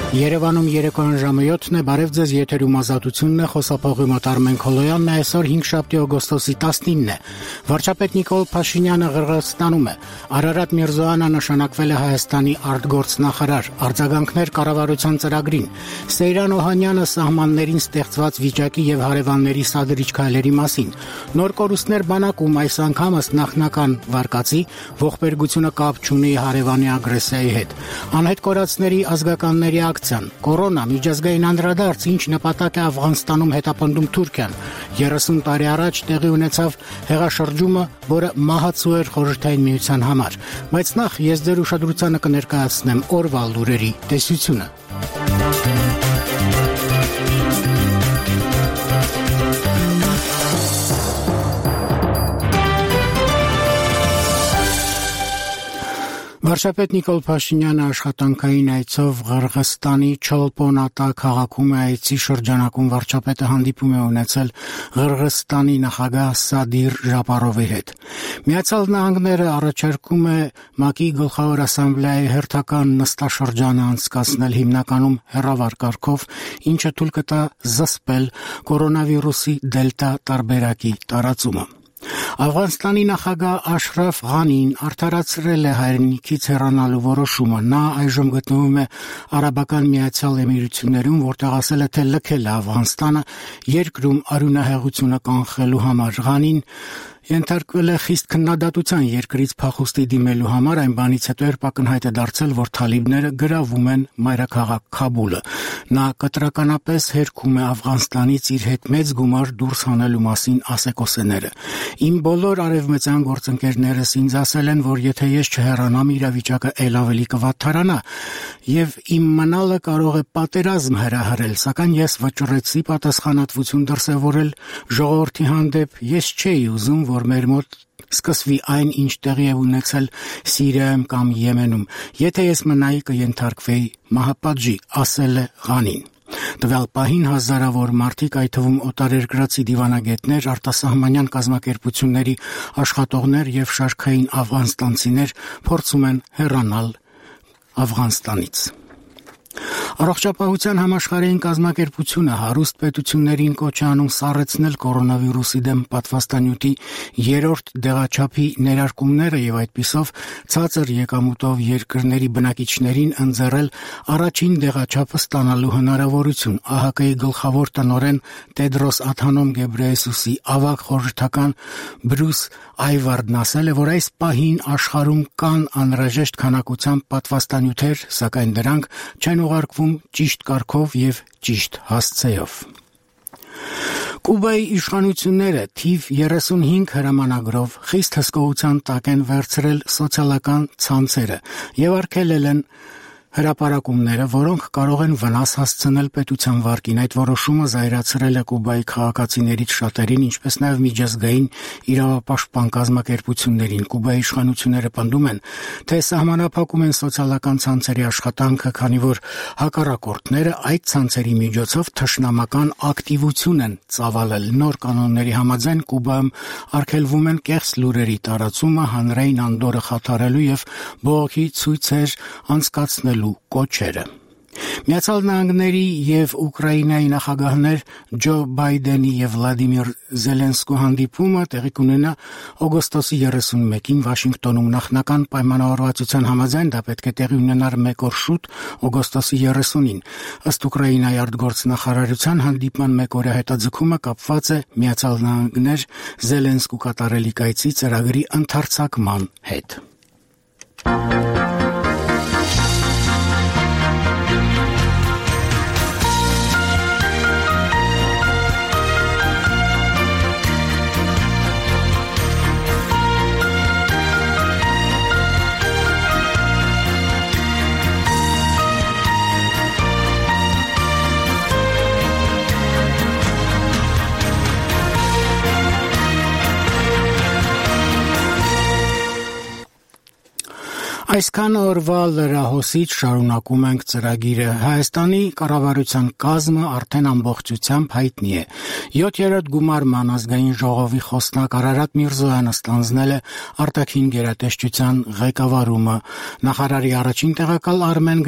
Երևանում երեկոյան ժամը 7-ն է, բարև ձեզ, եթերում Ազատությունն է, խոսափողի մոտ Արմեն Քոլոյանն է, այսօր 5-շաբթի օգոստոսի 19-ն է։ Վարչապետ Նիկոլ Փաշինյանը Ղրղըզստանում է։ Արարատ Միրզոյանը նշանակվել է Հայաստանի արտգործնախարար, արձագանքներ կառավարության ծրագրին։ Սեյրան Օհանյանը սահմաններին ստեղծված վիճակի եւ հարևանների սադրիչ քայլերի մասին։ Նոր կորուստներ բանակում այս անգամ ըստ նախնական վարկածի ողբերգությունը կապ չունի հարևանի ագրեսիայի հետ։ Անհետ կորածների ազգականների Կորոնա միջազգային անդրադարձ, ինչ նպատակ է Աֆղանստանում հետապնդում Թուրքիան։ 30 տարի առաջ տեղի ունեցավ հեղաշրջումը, որը մահացու էր Խորհրդային Միության համար։ Բայց նախ ես ձեր ուշադրությանը կներկայացնեմ օրվա լուրերի տեսությունը։ Վարչապետ Նիկոլ Փաշինյանը աշխատանքային այցով Ղրղըզստանի Չոլպոնատա քաղաքում է, այցի շրջանակում վարչապետը հանդիպում է ունեցել Ղրղըզստանի նախագահ Սադիր Ժապարովի հետ։ Միացյալ Նահանգները առաջարկում է ՄԱԿ-ի գլխավոր ասամբլեայի հերթական նստաշրջանը անցկացնել հիմնականում հեռավար կարգով, ինչը թույլ կտա զսպել կորոնավիրուսի դելտա տարբերակի տարածումը։ Աֆղանստանի նախագահ Աշրաֆ Ղանին արդարացրել է հայրենիքից հեռանալու որոշումը։ Նա այժմ գտնվում է Արաբական Միացյալ Էմիրություններում, որտեղ ասել է, թե լքել է Աֆղանստանը երկրում արյունահեղությունը կանխելու համար։ Ղանին ենթարկվել է խիստ քննադատության երկրից փախուստի դիմելու համար, այն բանից հետո երբ ակնհայտ է դարձել, որ թալիբները գրավում են մայրաքաղաք Քաբուլը։ Նա կտրականապես հերքում է Աֆղանստանից իր հետ մեծ գումար դուրս հանելու մասին ասեկոսեները։ Իմ բոլոր արևմտյան գործընկերներս ինձ ասել են, որ եթե ես չհեռանամ, իրավիճակը ել ավելի կվատթարանա եւ իմ մնալը կարող է պատերազմ հրահրել, սակայն ես վճռեցի պատասխանատվություն դրսևորել ժողովրդի հանդեպ։ Ես չէի ուզում, որ մեր մոտ սկսվի այն, ինչ տեղի է ունեցել Սիրիայում կամ Եմենում։ Եթե ես մնայի, կենթարկվեի մահապատժի, ասել է Ղանին։ Տվյալ պահին հազարավոր մարդիկ, այդ թվում օտարերկրացի դիվանագետներ, արտասահմանյան կազմակերպությունների աշխատողներ եւ շարքային աֆղանստանցիներ փորձում են հեռանալ Աֆղանստանից։ Առողջապահության համաշխարհային կազմակերպությունը հարուստ պետություններին կոչ է անում սառեցնել կորոնավիրուսի դեմ պատվաստանյութի 3-րդ դեղաչափի ներարկումները եւ այդպիսով ցածր եկամուտով երկրների բնակիչներին ընձեռել առաջին դեղաչափը ստանալու հնարավորություն։ ԱՀԿ-ի գլխավոր տնօրեն Տեդրոս Ադհանոմ Գեբրեյեսուսի ավագ խորհրդական Բրյուս Այվարդն ասել է, որ այս պահին աշխարհում կան անհրաժեշտ քանակությամբ պատվաստանյութեր, սակայն դրանք չեն ուղարկվում ճիշտ կարգով եւ ճիշտ հասցեով։ Կուբայի իշխանությունները թիվ 35 հրամանագրով խիստ հսկողության տակ են վերցրել սոցիալական ցանցերը եւ արգելել են հրապարակումները, որոնք կարող են վնաս հասցնել պետության վարկին։ Այդ որոշումը զայրացրել է Կուբայի քաղաքացիներից շատերին, ինչպես նաև միջազգային իրավապաշտպան կազմակերպություններին։ Կուբայի իշխանությունները պնդում են, թե սահմանափակում են սոցիալական ցանցերի աշխատանքը, քանի որ հակառակորդները այդ ցանցերի միջոցով թշնամական ակտիվություն են ծավալել։ Նոր կանոնների համաձայն Կուբայում արգելվում են կեղծ լուրերի տարածումը, հանրային անդորրը խաթարելու եւ բողոքի ցույցեր անցկացնելու կոչերը։ Միացյալ Նահանգների եւ Ուկրաինայի նախագահներ Ջո Բայդենի եւ Վլադիմիր Զելենսկու հանդիպումը տեղի կունենա օգոստոսի 31-ին Վաշինգտոնում։ Նախնական պայմանավորվածության համաձայն դա պետք է տեղի ունենար մեկ օր շուտ, օգոստոսի 30-ին։ Ըստ Ուկրաինայի արտգործնախարարության հանդիպման մեկօրյա հետաձգումը կապված է Միացյալ Նահանգներ Զելենսկու կատարելիք այցի ծրագրի ընդարձակման հետ։ Այսքան օրվա լրահոսից շարունակում ենք ծրագիրը։ Հայաստանի կառավարության կազմը արդեն ամբողջությամբ հայտնի է։ 7-րդ գումարման ազգային ժողովի խոսնակ Արարատ Միրզոյանը ստանձնել է արտաքին գերատեսչության ղեկավարումը։ Նախարարի առաջին տեղակալ Արմեն